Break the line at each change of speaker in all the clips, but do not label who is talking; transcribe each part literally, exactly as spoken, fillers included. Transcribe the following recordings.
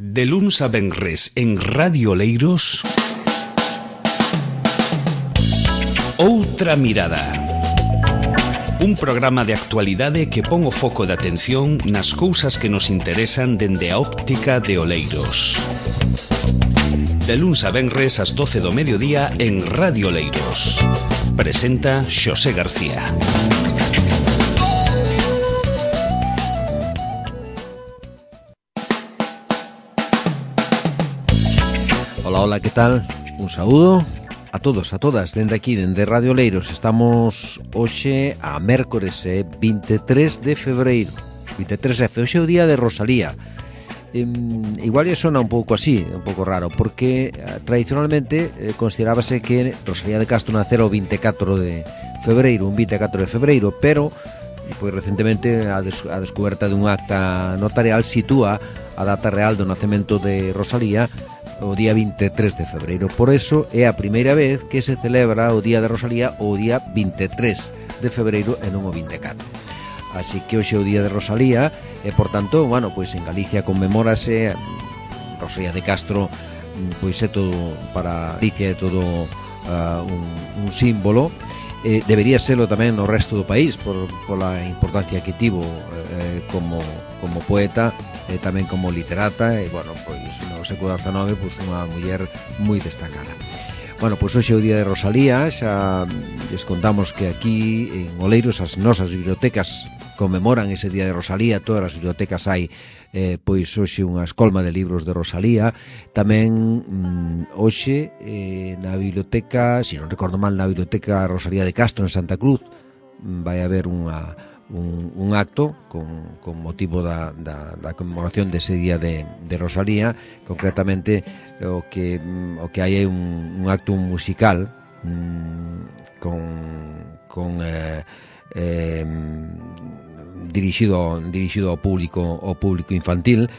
De luns a venres en Radio Oleiros, Outra Mirada. Un programa de actualidade que pon o foco de atención nas cousas que nos interesan dende a óptica de Oleiros. De luns a venres ás doce do mediodía en Radio Oleiros. Presenta Xosé García.
Hola, hola, ¿qué tal? Un saúdo a todos, a todas, dende aquí, dende Radio Oleiros. Estamos hoxe a mércores, eh, vinte e tres de febreiro, vinte e tres F, hoxe é o día de Rosalía. Eh, igual lle sona un pouco así, un pouco raro, porque eh, tradicionalmente eh, considerábase que Rosalía de Castro nacera o vinte e catro de febreiro, un vinte e catro de febreiro, pero pois recentemente a, des a descoberta dun acta notarial sitúa a data real do nacemento de Rosalía o día vinte e tres de febreiro. Por eso é a primeira vez que se celebra o día de Rosalía o día vinte e tres de febreiro e non o vinte e catro. Así que hoxe é o día de Rosalía e, por tanto, bueno, pois en Galicia conmemórase Rosalía de Castro, pois é todo para Galicia, é todo uh, un, un símbolo. Eh, debería serlo tamén no resto do país por, por a importancia que tivo eh, como, como poeta e tamén como literata e, bueno, pois no século dezanove pois unha muller moi destacada. Bueno, pois hoxe é o día de Rosalía, xa les contamos que aquí en Oleiros as nosas bibliotecas conmemoran ese día de Rosalía, todas as bibliotecas hai eh, pois hoxe unha escolma de libros de Rosalía. Tamén mm, hoxe eh, na biblioteca, se non recordo mal, na biblioteca Rosalía de Castro en Santa Cruz vai haber unha Un, un acto con, con motivo da, da, da conmemoración dese día de, de Rosalía. Concretamente o que, o que hai é un, un acto musical mm, con, con eh, eh, dirixido, dirixido ao público, ao público infantil,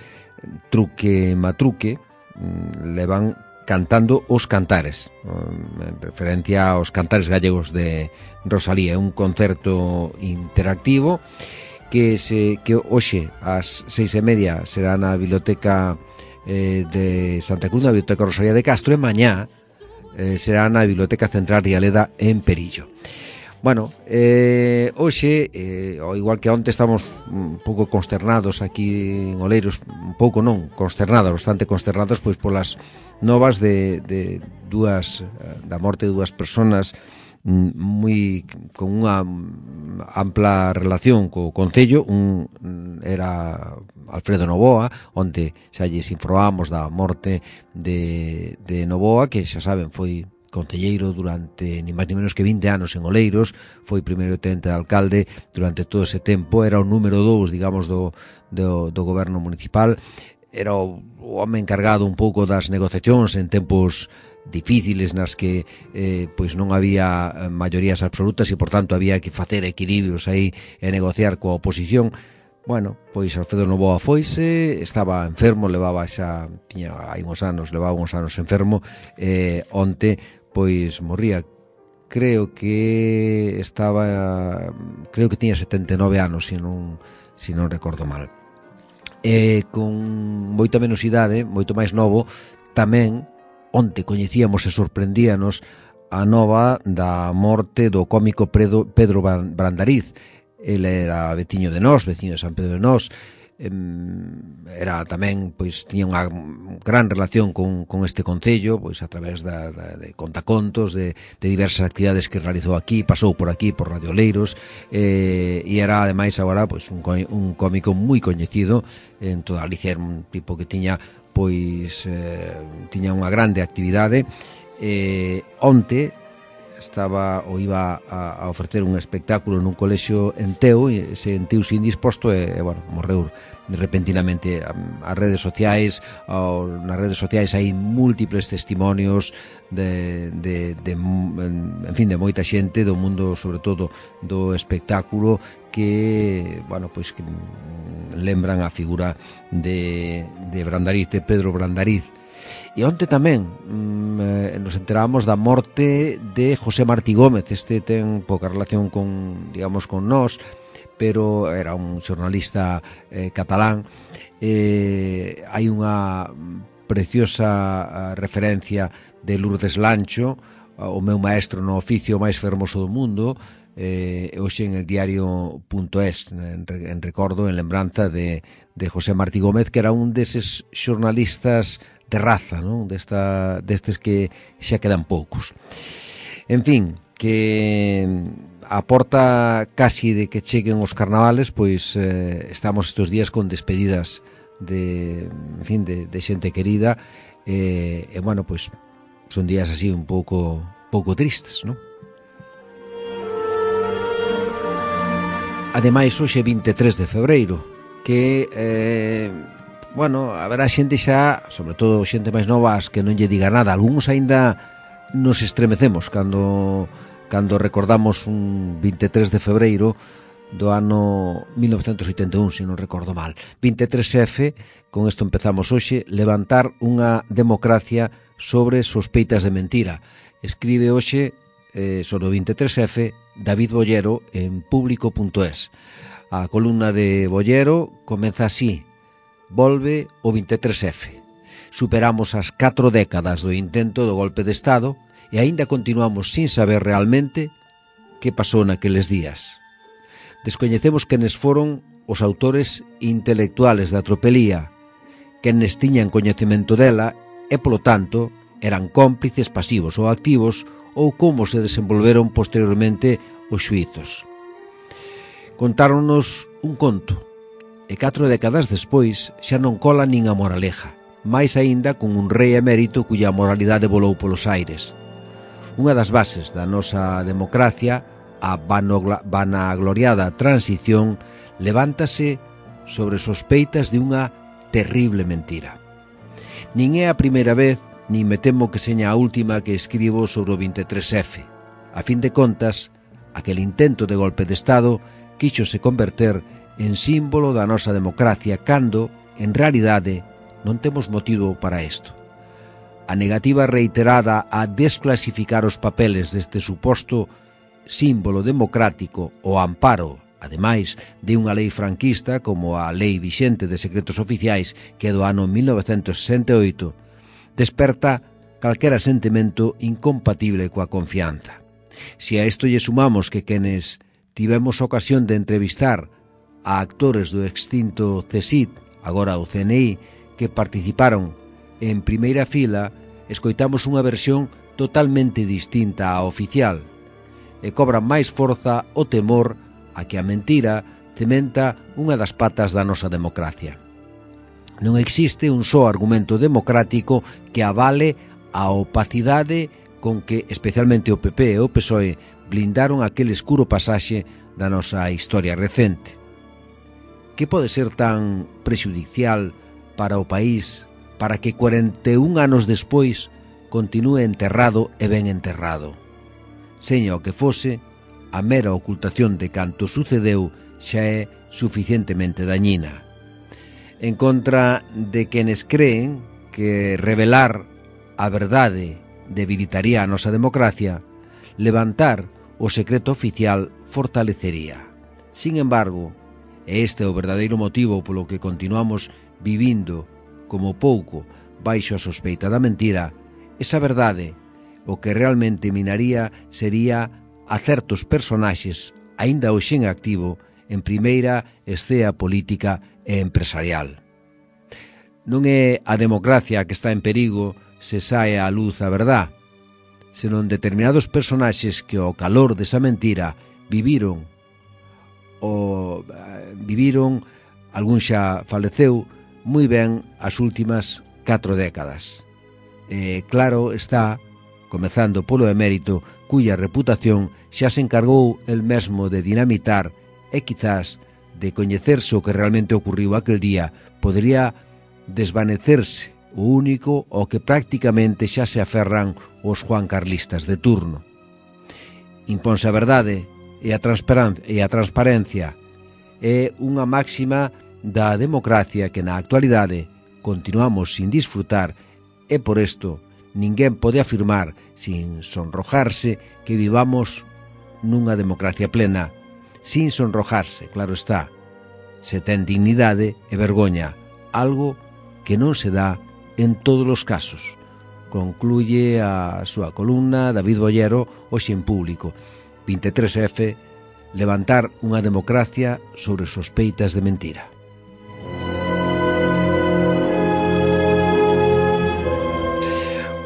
truque matruque, mm, levan cantando os cantares, en referencia aos cantares gallegos de Rosalía. É un concerto interactivo que se que hoxe ás seis e media será na biblioteca eh, de Santa Cruz, na biblioteca Rosalía de Castro, e mañá eh, será na biblioteca Central Rialeda en Perillo. Bueno, eh, hoxe, eh, ao igual que onte, estamos un pouco consternados aquí en Oleiros, un pouco non, consternados, bastante consternados, pois polas novas de, de dúas, da morte de dúas personas moi con unha ampla relación co concello. Un era Alfredo Novoa, onde xa lles informamos da morte de, de Novoa, que xa saben foi concelleiro durante ni máis ni menos que vinte anos en Oleiros, foi primeiro tenente de alcalde durante todo ese tempo, era o número dous, digamos, do, do, do goberno municipal, era o, o home encargado un pouco das negociacións en tempos difíciles nas que eh, pois non había maiorías absolutas e, por tanto, había que facer equilibrios aí e negociar coa oposición. Bueno, pois Alfredo Novoa foise, estaba enfermo, levaba xa, tiña hai uns anos, levaba uns anos enfermo, e eh, onte pois morría, creo que estaba, creo que tiña setenta e nove anos, se non, se non recordo mal. E con moita menos idade, moito máis novo, tamén onte coñecíamos e sorprendíanos a nova da morte do cómico Pedro, Pedro Brandariz. Ele era veciño de nós, veciño de San Pedro de Nós, era tamén, pois, tiña unha gran relación con, con este concello, pois a través da, da, de contacontos, de, de diversas actividades que realizou aquí, pasou por aquí, por Radio Oleiros, eh, e era ademais agora pois un, un cómico moi coñecido en toda Galicia, un tipo que tiña pois eh, tiña unha grande actividade. Eh, onte estaba ou iba a, a ofrecer un espectáculo nun colexio en Teo e sentiuse indisposto e, e bueno, morreu repentinamente. As redes sociais, ao, nas redes sociais hai múltiples testimonios de, de, de, en fin, de moita xente do mundo, sobre todo do espectáculo, que, bueno, pois que lembran a figura de, de Brandariz, de Pedro Brandariz. E onte tamén mm, nos enteramos da morte de José Martí Gómez. Este ten pouca relación con, digamos, con nós, pero era un xornalista eh, catalán, eh, eh, hai unha preciosa referencia de Lourdes Lancho, o meu maestro no oficio máis fermoso do mundo, eh, hoxe en el diario punto es, en, en recordo, en lembranza de, de José Martí Gómez, que era un deses xornalistas de raza, non? Desta, destes que xa quedan poucos. En fin, que a porta casi de que cheguen os carnavales, pois eh, estamos estes días con despedidas de, en fin, de, de xente querida, e, e bueno, pois son días así un pouco pouco tristes, non? Ademais, hoxe é vinte e tres de febreiro, que, eh, bueno, haberá xente xa, sobre todo xente máis novas, que non lle diga nada. Algúns aínda nos estremecemos cando, cando recordamos un vinte e tres de febreiro do ano mil novecentos oitenta e un, se non recordo mal. vinte e tres efe, con isto empezamos hoxe, levantar unha democracia sobre sospeitas de mentira. Escribe hoxe, eh, sobre o vinte e tres efe, David Bollero en público punto es. A columna de Bollero comeza así: volve o vinte e tres efe. Superamos as catro décadas do intento do golpe de Estado e aínda continuamos sin saber realmente que pasou naqueles días. Descoñecemos quenes foron os autores intelectuales da tropelía, quenes tiñan coñecemento dela e, polo tanto, eran cómplices pasivos ou activos, ou como se desenvolveron posteriormente os xuizos. Contáronnos un conto, e catro décadas despois xa non cola nin a moraleja, máis aínda con un rei emérito cuya moralidade volou polos aires. Unha das bases da nosa democracia, a vanagloriada transición, levántase sobre sospeitas de unha terrible mentira. Nin é a primeira vez, nin me temo que seña a última que escribo sobre o vinte e tres efe. A fin de contas, aquel intento de golpe de Estado quíxose converter en símbolo da nosa democracia cando, en realidade, non temos motivo para isto. A negativa reiterada a desclasificar os papeles deste suposto símbolo democrático o amparo, ademais, de unha lei franquista como a Lei Vixente de Secretos Oficiais, que é do ano mil novecentos sesenta e oito, desperta calquera sentimento incompatible coa confianza. Se a isto lle sumamos que quenes tivemos ocasión de entrevistar a actores do extinto C S I D, agora o C N I, que participaron en primeira fila, escoitamos unha versión totalmente distinta á oficial, e cobra máis forza o temor a que a mentira cementa unha das patas da nosa democracia. Non existe un só argumento democrático que avale a opacidade con que especialmente o P P e o P S O E blindaron aquel escuro pasaxe da nosa historia recente. Que pode ser tan prexudicial para o país para que cuarenta e un anos despois continúe enterrado e ben enterrado? Seña o que fose, a mera ocultación de canto sucedeu xa é suficientemente dañina. En contra de quenes creen que revelar a verdade debilitaría a nosa democracia, levantar o secreto oficial fortalecería. Sin embargo, e este é o verdadeiro motivo polo que continuamos vivindo como pouco baixo a sospeita da mentira, esa verdade o que realmente minaría sería a certos personaxes, aínda hoxe en activo, en primeira escena política e empresarial. Non é a democracia que está en perigo se sae á luz a verdad, senón determinados personaxes que ao calor desa mentira viviron, o viviron, algún xa faleceu, moi ben as últimas catro décadas. E claro está, comezando polo emérito, cuya reputación xa se encargou el mesmo de dinamitar e quizás de coñecerse o que realmente ocurriu aquel día, podería desvanecerse o único ao que prácticamente xa se aferran os juancarlistas de turno. Imponse a verdade e a, e a transparencia é unha máxima da democracia que na actualidade continuamos sin disfrutar e por isto ninguén pode afirmar, sin sonrojarse, que vivamos nunha democracia plena, sin sonrojarse, claro está, se ten dignidade e vergoña, algo que non se dá en todos os casos. Concluye a súa columna David Bollero hoxe en Público. vinte e tres F, levantar unha democracia sobre sospeitas de mentira.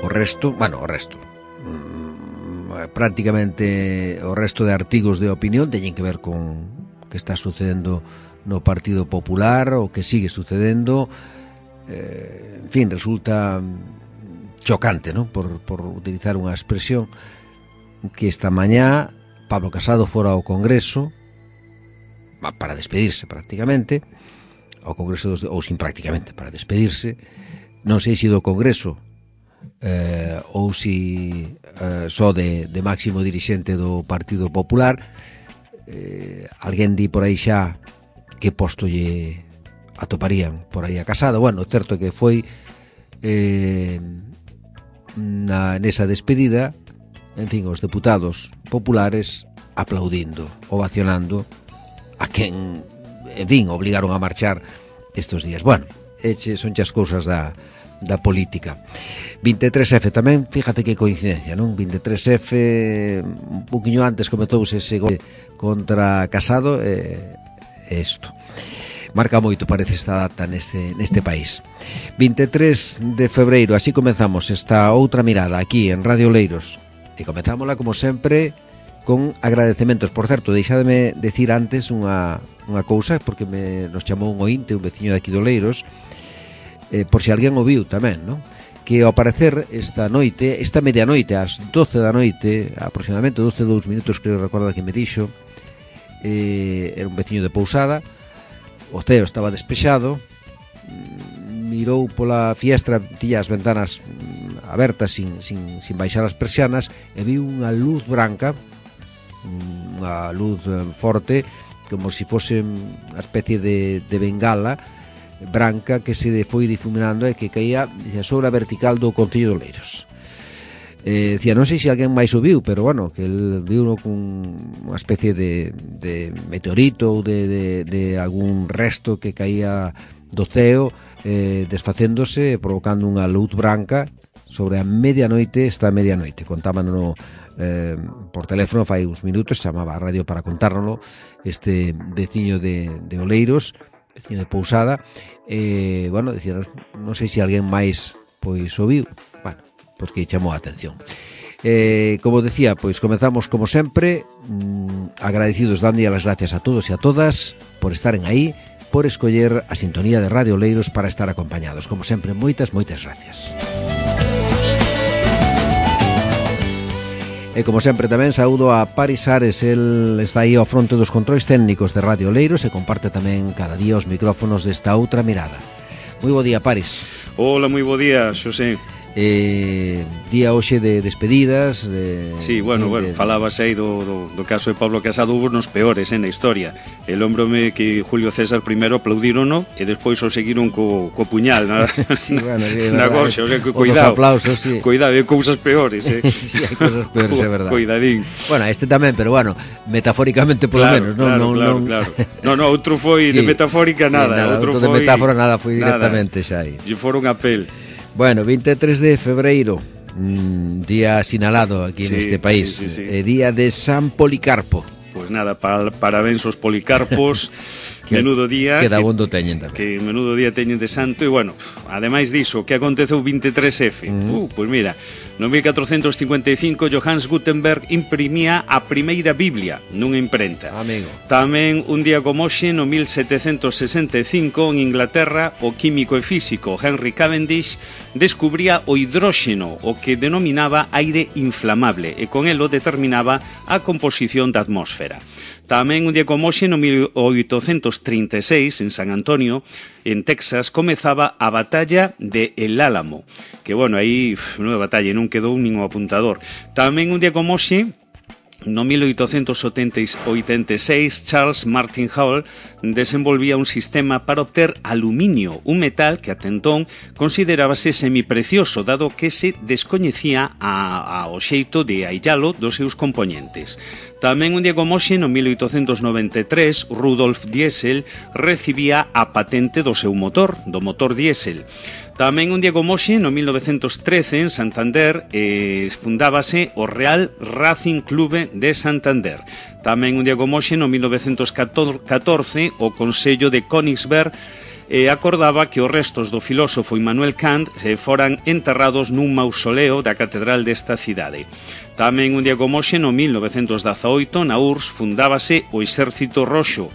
O resto, bueno, o resto prácticamente o resto de artigos de opinión teñen que ver con o que está sucedendo no Partido Popular, o que sigue sucedendo. Eh, en fin, resulta chocante, ¿no? Por, por utilizar unha expresión, que esta mañá Pablo Casado fora ao Congreso para despedirse prácticamente, ao Congreso dos, ou sin prácticamente, para despedirse, non sei se do Congreso eh, ou si eh, só de, de máximo dirixente do Partido Popular. Eh, alguén di por aí xa que posto lle atoparían por aí a Casado. Bueno, certo que foi eh, na, nesa despedida, en fin, os deputados populares aplaudindo, ovacionando a quen, en fin, obligaron a marchar estes días. Bueno, eche, son as cousas da, da política. vinte e tres F tamén, fíjate que coincidencia, non? vinte e tres F, un poquinho antes cometouse ese gol contra Casado, e eh, isto marca moito, parece, esta data neste, neste país. vinte e tres de febreiro, así comenzamos esta outra mirada aquí en Radio Oleiros. E comenzámola, como sempre, con agradecementos. Por certo, deixádeme decir antes unha, unha cousa, porque me, nos chamou un ointe, un veciño de aquí de Oleiros, eh, por si alguén o viu tamén, non? Que ao parecer esta noite, esta medianoite, ás doce da noite, aproximadamente doce e dous minutos, creo recordar que me dixo, eh, era un veciño de Pousada, o ceo estaba despexado, mirou pola fiestra, tiña as ventanas abertas sin, sin, sin baixar as persianas, e viu unha luz branca, unha luz forte, como se fose unha especie de, de bengala branca que se foi difuminando e que caía sobre a vertical do Concello de Oleiros. Eh, decía, non sei se alguén máis o viu, pero bueno, que el viu con unha especie de, de meteorito ou de, de, de algún resto que caía do ceo, eh, desfacéndose, provocando unha luz branca sobre a medianoite, esta medianoite. Contábano eh, por teléfono fai uns minutos, chamaba a radio para contárnoslo este veciño de, de Oleiros, veciño de Pousada, e, eh, bueno, decía, non sei se alguén máis pois o viu, bueno, pois que chamou a atención. Eh, como decía, pois comenzamos como sempre, mmm, agradecidos, dando as gracias a todos e a todas por estaren aí, por escoller a sintonía de Radio Oleiros para estar acompañados. Como sempre, moitas, moitas gracias. E como sempre tamén saúdo a Paris Ares, el está aí ao fronte dos controis técnicos de Radio Oleiros e comparte tamén cada día os micrófonos desta outra mirada. Moi bo día, Paris.
Hola, moi bo día, Xosé.
Eh, día hoxe de despedidas de,
Sí, bueno, de, bueno, de... falabas aí do, do, do caso de Pablo Casado, hubo nos peores eh, na historia. El hombrome que Julio César primeiro aplaudirono e despois o seguiron co, co puñal na,
sí, bueno, sí,
na gorxa, o sea, que cuidado,
aplausos, sí.
Cuidado, hai cousas peores eh.
Sí, hai cousas peores, é verdade.
Cuidadín.
Bueno, este tamén, pero bueno, metafóricamente polo
claro,
menos, non,
claro,
non,
claro,
non...
claro. No, no, outro foi sí, de metafórica nada,
sí, nada
outro,
outro
foi
de metáfora nada, foi
nada.
directamente xa aí.
E foron a pel.
Bueno, vinte e tres de febreiro, mmm, día asinalado aquí sí, neste país, sí, sí, sí. Eh, día de San Policarpo.
Pois pues nada, pa, parabéns aos Policarpos. Que, menudo día
que dabondo teñen tamén.
Que menudo día teñen de santo. E bueno, ademais diso, que aconteceu vinte e tres F? Mm. Uh, pois pues mira, no mil catrocentos cincuenta e cinco Johannes Gutenberg imprimía a primeira Biblia nunha imprenta.
Amigo.
Tamén un día como hoxe, no mil setecentos sesenta e cinco, en Inglaterra, o químico e físico Henry Cavendish descubría o hidróxeno, o que denominaba aire inflamable, e con elo determinaba a composición da atmósfera. Tamén un día como hoxe, no mil oitocentos trinta e seis, en San Antonio, en Texas, comezaba a batalla de El Álamo. Que, bueno, aí, non é batalla, non quedou nin o apuntador. Tamén un día como hoxe, no mil oitocentos oitenta e seis, Charles Martin Hall desenvolvía un sistema para obter aluminio, un metal que ata entón considerábase semiprecioso, dado que se descoñecía a, a o xeito de aillalo dos seus componentes. Tamén un día como hoxe, no mil oitocentos noventa e tres, Rudolf Diesel recibía a patente do seu motor, do motor diésel. Tamén un día como hoxe, no mil novecentos trece, en Santander, eh, fundábase o Real Racing Clube de Santander. Tamén un día como hoxe, no mil novecentos catorce, o Consello de Königsberg eh, acordaba que os restos do filósofo Immanuel Kant se foran enterrados nun mausoleo da catedral desta cidade. Tamén un día como hoxe, no mil novecentos dezaoito, na U R S S fundábase o Exército Roxo.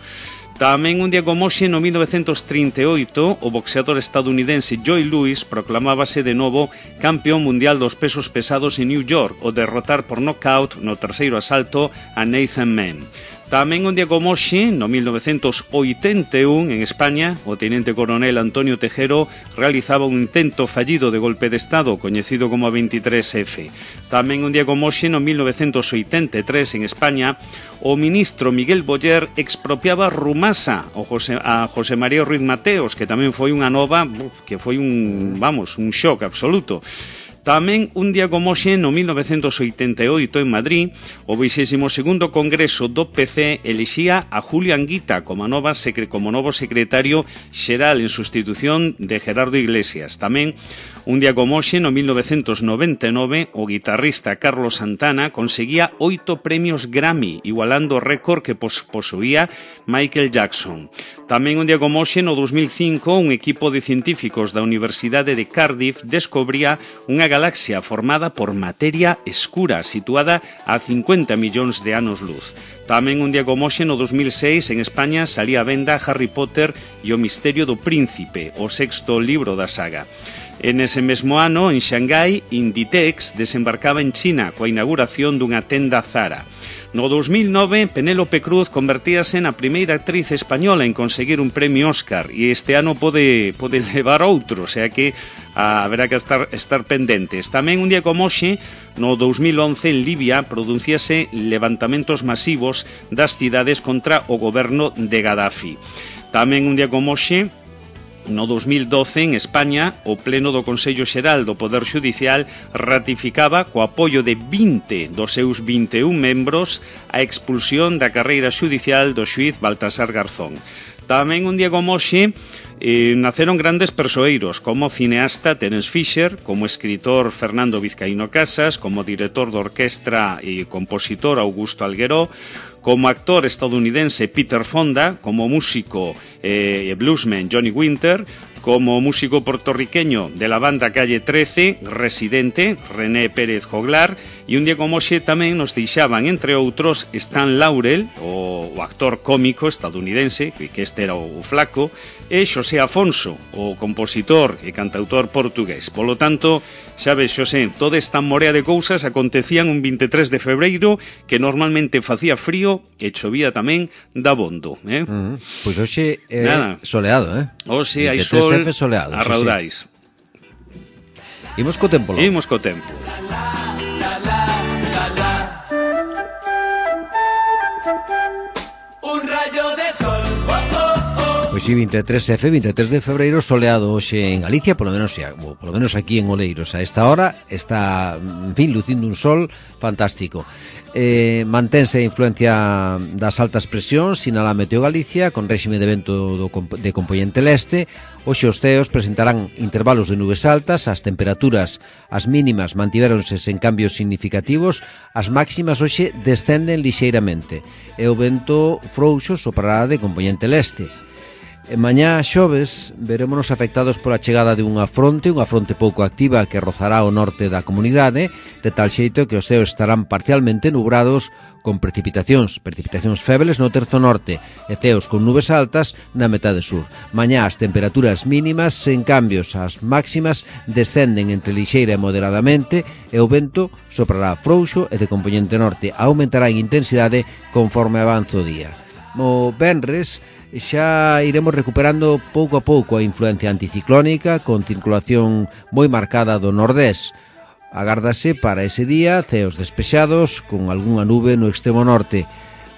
Tamén un día como hoxe, no mil novecentos trinta e oito, o boxeador estadounidense Joe Louis proclamábase de novo campeón mundial dos pesos pesados en New York, ao derrotar por nocaut no terceiro asalto a Nathan Mann. Tamén un día como hoxe, no mil novecentos oitenta e un, en España, o tenente coronel Antonio Tejero realizaba un intento fallido de golpe de Estado, coñecido como a veintitrés efe. Tamén un día como hoxe, no mil novecentos oitenta e tres, en España, o ministro Miguel Boyer expropiaba Rumasa a José, a José María Ruiz Mateos, que tamén foi unha nova, que foi un, vamos, un shock absoluto. Tamén un día como hoxe, no mil novecentos oitenta e oito, en Madrid, o vexésimo segundo Congreso do P C elixía a Julio Anguita como, nova secre, como novo secretario xeral en sustitución de Gerardo Iglesias. Tamén un día como hoxe, no mil novecentos noventa e nove, o guitarrista Carlos Santana conseguía oito premios Grammy, igualando o récord que pos posuía Michael Jackson. Tamén un día como hoxe, no dos mil cinco, un equipo de científicos da Universidade de Cardiff descubría unha galaxia formada por materia escura, situada a cincuenta millóns de anos luz. Tamén un día como hoxe, no dos mil seis, en España, salía a venda Harry Potter e o misterio do príncipe, o sexto libro da saga. En ese mesmo ano, en Xangai, Inditex desembarcaba en China coa inauguración dunha tenda Zara. No dos mil nove, Penélope Cruz convertíase na primeira actriz española en conseguir un premio Óscar e este ano pode, pode levar outro, o sea que a, haberá que estar, estar pendentes. Tamén un día como hoxe, no dos mil once, en Libia, producíase levantamentos masivos das cidades contra o goberno de Gaddafi. Tamén un día como hoxe, no dos mil doce, en España, o Pleno do Consello Xeral do Poder Xudicial ratificaba, co apoio de vinte dos seus vinte e un membros, a expulsión da carreira xudicial do xuíz Baltasar Garzón. Tamén un día como hoxe, eh, naceron grandes persoeiros, como o cineasta Terence Fisher, como escritor Fernando Vizcaíno Casas, como director de orquestra e compositor Augusto Algueró, como actor estadounidense Peter Fonda, como músico e eh, bluesman Johnny Winter, como músico puertorriqueño de la banda Calle trece, residente René Pérez Joglar, e un día como hoxe tamén nos deixaban, entre outros, Stan Laurel, o, o actor cómico estadounidense, que, que este era o, o flaco, e Xosé Afonso, o compositor e cantautor portugués. Polo tanto, xa ves, Xosé, toda esta morea de cousas acontecían un veintitrés de febreiro, que normalmente facía frío e chovía tamén dabondo. Eh?
Uh -huh. Pois hoxe é Nada. soleado, eh?
Hoxe hai sol
soleado,
a raudais.
Sí. Imos co tempo, lo.
Imos co tempo.
Un rayo de sol. Oh, oh, oh.
Pois sí, veintitrés efe, veintitrés de febreiro, soleado hoxe en Galicia, polo menos, ou polo menos aquí en Oleiros. A esta hora está, en fin, lucindo un sol fantástico. Eh, mantense a influencia das altas presións, sinala Meteo Galicia, con réxime de vento do, de compoñente leste. Hoxe os ceos presentarán intervalos de nubes altas, as temperaturas, as mínimas mantiveronse sen cambios significativos, as máximas hoxe descenden lixeiramente, e o vento frouxo soprará de compoñente leste. E mañá xoves verémonos afectados pola chegada de unha fronte, unha fronte pouco activa que rozará o norte da comunidade, de tal xeito que os ceos estarán parcialmente nubrados con precipitacións, precipitacións febles no terzo norte e ceos con nubes altas na metade sur. Mañá as temperaturas mínimas sen cambios, as máximas descenden entre lixeira e moderadamente e o vento soprará frouxo e de compoñente norte, aumentará en intensidade conforme avanza o día. O venres xa iremos recuperando pouco a pouco a influencia anticiclónica con circulación moi marcada do nordés. Agárdase para ese día ceos despexados con algunha nube no extremo norte.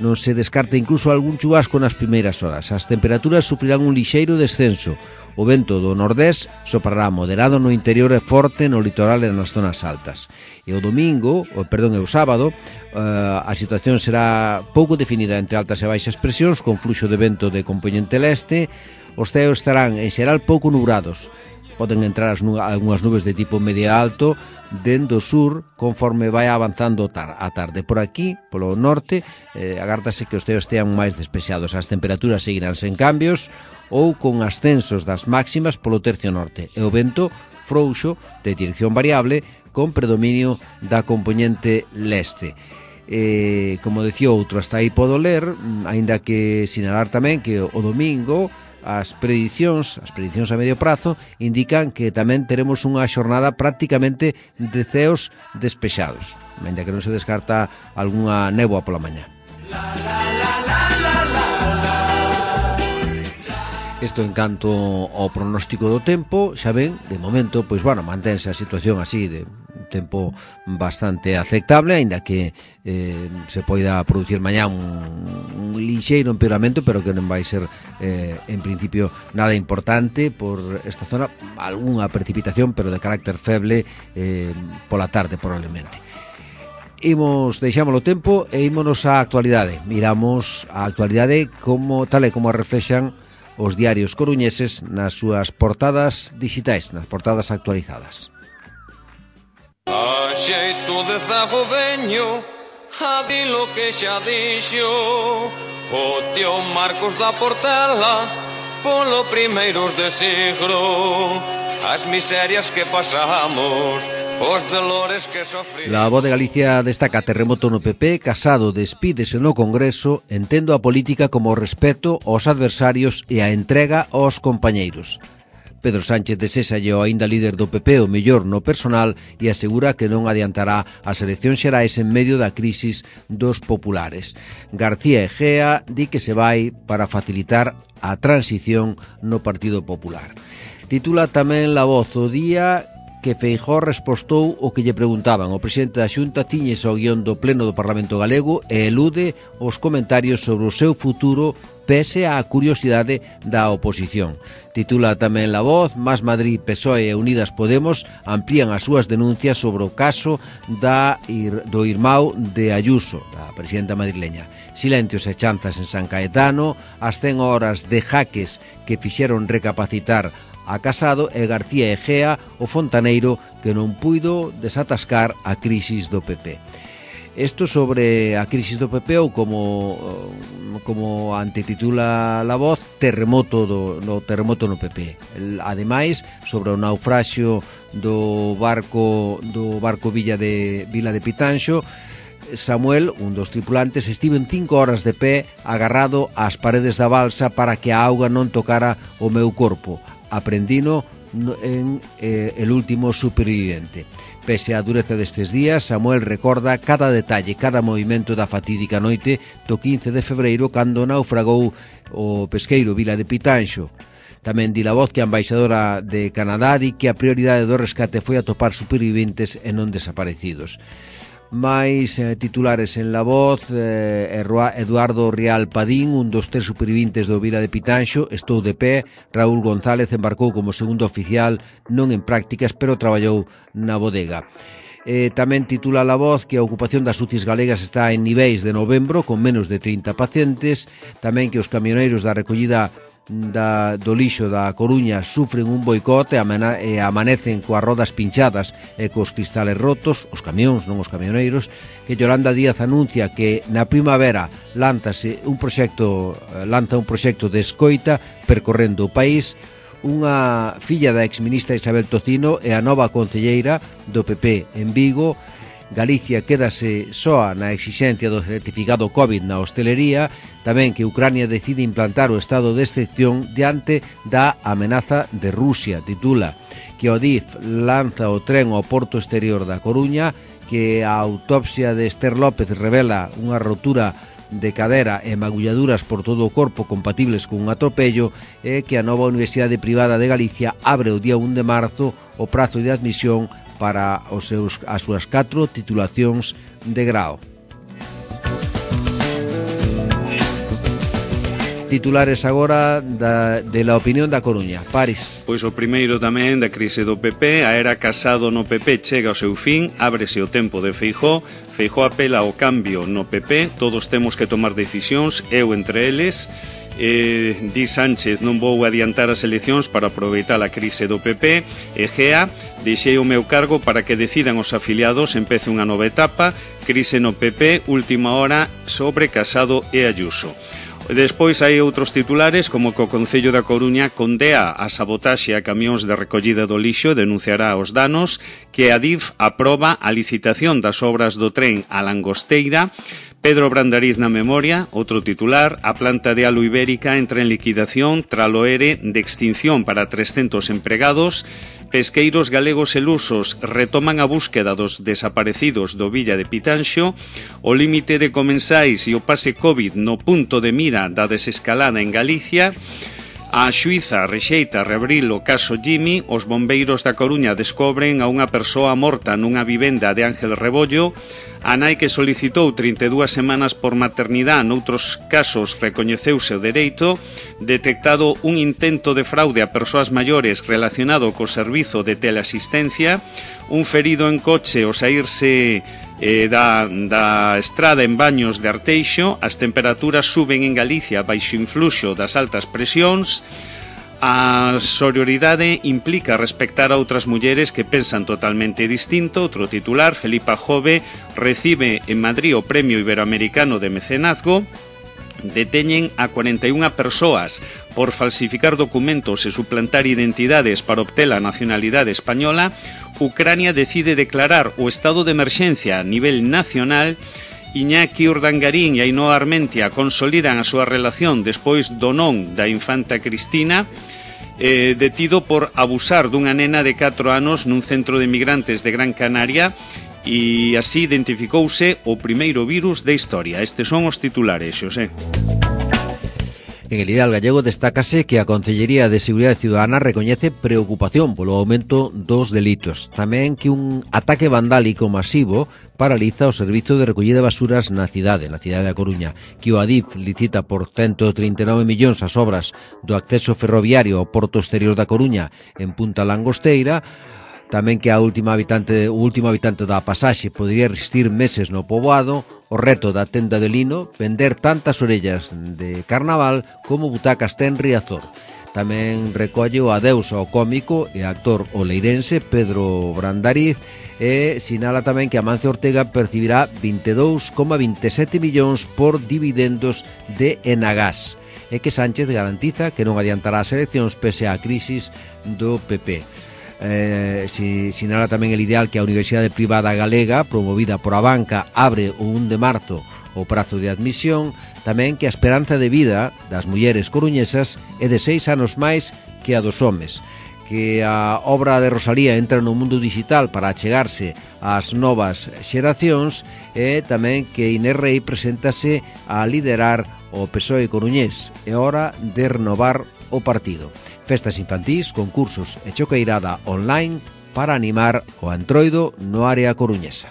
Non se descarta incluso algún chubasco nas primeiras horas. As temperaturas sufrirán un lixeiro descenso. O vento do nordés soprará moderado no interior e forte no litoral e nas zonas altas. E o domingo, o, perdón, e o sábado, eh, a situación será pouco definida entre altas e baixas presións, con fluxo de vento de compoñente leste. Os ceos estarán, en xeral, pouco nubrados. Poden entrar as nu- algunhas nubes de tipo media alto dende o sur conforme vai avanzando tar- a tarde. Por aquí, polo norte, eh, agárdase que os ceos estean máis despexados. As temperaturas seguirán sen cambios ou con ascensos das máximas polo tercio norte. E o vento frouxo de dirección variable con predominio da compoñente leste. Eh, como decía outro, hasta aí podo ler, aínda que sinalar tamén que o domingo as predicións, as predicións a medio prazo indican que tamén teremos unha xornada prácticamente de ceos despexados, aínda que non se descarta algunha néboa pola mañá. Isto en canto ao pronóstico do tempo, xa ven, de momento, pois, bueno, mantense a situación así de tempo bastante aceptable, aínda que eh, se poida producir mañá un, un lixeiro empeoramento, pero que non vai ser eh, en principio nada importante por esta zona, algunha precipitación, pero de carácter feble eh, pola tarde probablemente. Imos, deixámoslo tempo e ímonos á actualidade. Miramos a actualidade como tal e como a reflexan os diarios coruñeses nas súas portadas digitais, nas portadas actualizadas.
A xeito de zago veño a di lo que xa dixo o tío Marcos da Portela polo primeiros de siglo, as miserias que pasamos, os dolores que sofrimos.
La Voz de Galicia destaca terremoto no P P, Casado despídese no Congreso, entendo a política como o respeto aos adversarios e a entrega aos compañeiros. Pedro Sánchez deséxalle ao aínda líder do P P o mellor no personal e asegura que non adiantará as eleccións xerais en medio da crisis dos populares. García Egea di que se vai para facilitar a transición no Partido Popular. Titula tamén La Voz o día que Feijóo respostou o que lle preguntaban. O presidente da Xunta ciñese ao guión do Pleno do Parlamento Galego e elude os comentarios sobre o seu futuro pese á curiosidade da oposición. Titula tamén La Voz, Más Madrid, P S O E e Unidas Podemos amplían as súas denuncias sobre o caso da, do irmão de Ayuso, da presidenta madrileña. Silencios e chanzas en San Caetano, as cen horas de jaques que fixeron recapacitar a Casado e García Egea, o fontaneiro que non puido desatascar a crisis do P P. Isto sobre a crisis do P P ou como como antititula La Voz, terremoto do no terremoto no P P. Ademais, sobre o naufraxio do barco do barco Villa de Vila de Pitanxo, Samuel, un dos tripulantes, estivo en cinco horas de pé agarrado ás paredes da balsa para que a auga non tocara o meu corpo. Aprendino en eh, El último superviviente. Pese á dureza destes días, Samuel recorda cada detalle, cada movimento da fatídica noite do quince de febreiro cando naufragou o pesqueiro Vila de Pitanxo. Tamén di La Voz que a embaixadora de Canadá di que a prioridade do rescate foi atopar superviventes e non desaparecidos. Mais eh, titulares en La Voz, eh, Eduardo Rial Padín, un dos tres supervivintes do Vila de Pitanxo, estou de pé. Raúl González embarcou como segundo oficial, non en prácticas, pero traballou na bodega. Eh, tamén titula La Voz que a ocupación das U C Is galegas está en niveis de novembro, con menos de trinta pacientes. Tamén que os camioneiros da recollida da, do lixo da Coruña sufren un boicot e, amana, e amanecen coas rodas pinchadas e cos cristales rotos, os camións, non os camioneiros, que Yolanda Díaz anuncia que na primavera lánzase un proxecto, lanza un proxecto de escoita percorrendo o país. Unha filla da exministra Isabel Tocino e a nova concelleira do P P en Vigo. Galicia quédase soa na exixencia do certificado COVID na hostelería. Tamén que Ucrania decide implantar o estado de excepción diante da amenaza de Rusia. Titula que o D I F lanza o tren ao porto exterior da Coruña, que a autopsia de Esther López revela unha rotura de cadera e magulladuras por todo o corpo compatibles con un atropello, e que a nova Universidade Privada de Galicia abre o día un de marzo o prazo de admisión para os seus, as súas catro titulacións de grao. titulares agora da, de la opinión da Coruña. Paris.
Pois o primeiro tamén da crise do P P, a era Casado no P P chega ao seu fin, ábrese o tempo de Feijóo, Feijóo apela ao cambio no P P, todos temos que tomar decisións, eu entre eles. Eh, di Sánchez, non vou adiantar as eleccións para aproveitar a crise do P P. Egea, deixei o meu cargo para que decidan os afiliados, empece unha nova etapa. Crise no P P, última hora sobre Casado e Ayuso. Despois hai outros titulares, como que o Concello da Coruña condea a sabotaxe a camións de recollida do lixo e denunciará os danos, que a Adif aproba a licitación das obras do tren a Langosteira. Pedro Brandariz na memoria, outro titular, a planta de Alu Ibérica entra en liquidación tralo ere de extinción para trescentos empregados. Pesqueiros galegos e lusos retoman a búsqueda dos desaparecidos do Villa de Pitanxo. O límite de comensais e o pase COVID no punto de mira da desescalada en Galicia. A xuíza rexeita reabrir o caso Jimmy. Os bombeiros da Coruña descobren a unha persoa morta nunha vivenda de Ángel Rebollo. A nai que solicitou trinta e dúas semanas por maternidade, noutros casos recoñeceuse o dereito. Detectado un intento de fraude a persoas maiores relacionado co servizo de teleasistencia. Un ferido en coche ao saírse eh, da, da estrada en Baños de Arteixo. As temperaturas suben en Galicia baixo influxo das altas presións. A sororidade implica respectar a outras mulleres que pensan totalmente distinto. Outro titular, Felipa Jove recibe en Madrid o Premio Iberoamericano de Mecenazgo. Deteñen a cuarenta e unha persoas por falsificar documentos e suplantar identidades para obter a nacionalidade española. Ucrania decide declarar o estado de emerxencia a nivel nacional. Iñaki Urdangarín e Ainhoa Armentia consolidan a súa relación despois do non da infanta Cristina, eh, detido por abusar dunha nena de catro anos nun centro de migrantes de Gran Canaria, e así identificouse o primeiro virus da historia. Estes son os titulares, Xosé.
En el ideal gallego destácase que a Concellería de Seguridade Ciudadana recoñece preocupación polo aumento dos delitos. Tamén que un ataque vandálico masivo paraliza o servizo de recollida de basuras na cidade, na cidade da Coruña, que o Adif licita por ciento trinta e nove millóns as obras do acceso ferroviario ao porto exterior da Coruña en Punta Langosteira. Tamén que a última habitante, o último habitante da pasaxe podería resistir meses no poboado. O reto da tenda de lino, vender tantas orellas de carnaval como butacas ten Riazor. Tamén recolle o adeus ao cómico e actor oleirense Pedro Brandariz, e sinala tamén que Amancio Ortega percibirá vinte e dous coma vinte e sete millóns por dividendos de Enagás, e que Sánchez garantiza que non adiantará as eleccións pese á crisis do P P. Eh, si, sinala tamén el ideal que a Universidade Privada Galega, promovida por a banca, abre o un de marzo o prazo de admisión. Tamén que a esperanza de vida das mulleres coruñesas é de seis anos máis que a dos homes, que a obra de Rosalía entra no mundo digital para achegarse ás novas xeracións, e tamén que Inés Rei preséntase a liderar o P S O E coruñés. É hora de renovar o partido. Festas infantís, concursos e choqueirada online para animar o Antroido no área coruñesa.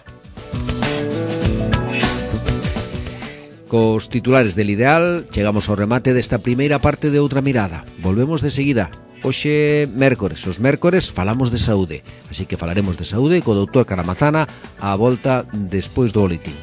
Cos titulares del ideal chegamos ao remate desta primeira parte de Outra Mirada. Volvemos de seguida. Hoxe mércores, os mércores falamos de saúde, así que falaremos de saúde co doutor Caramazana á volta despois do boletín.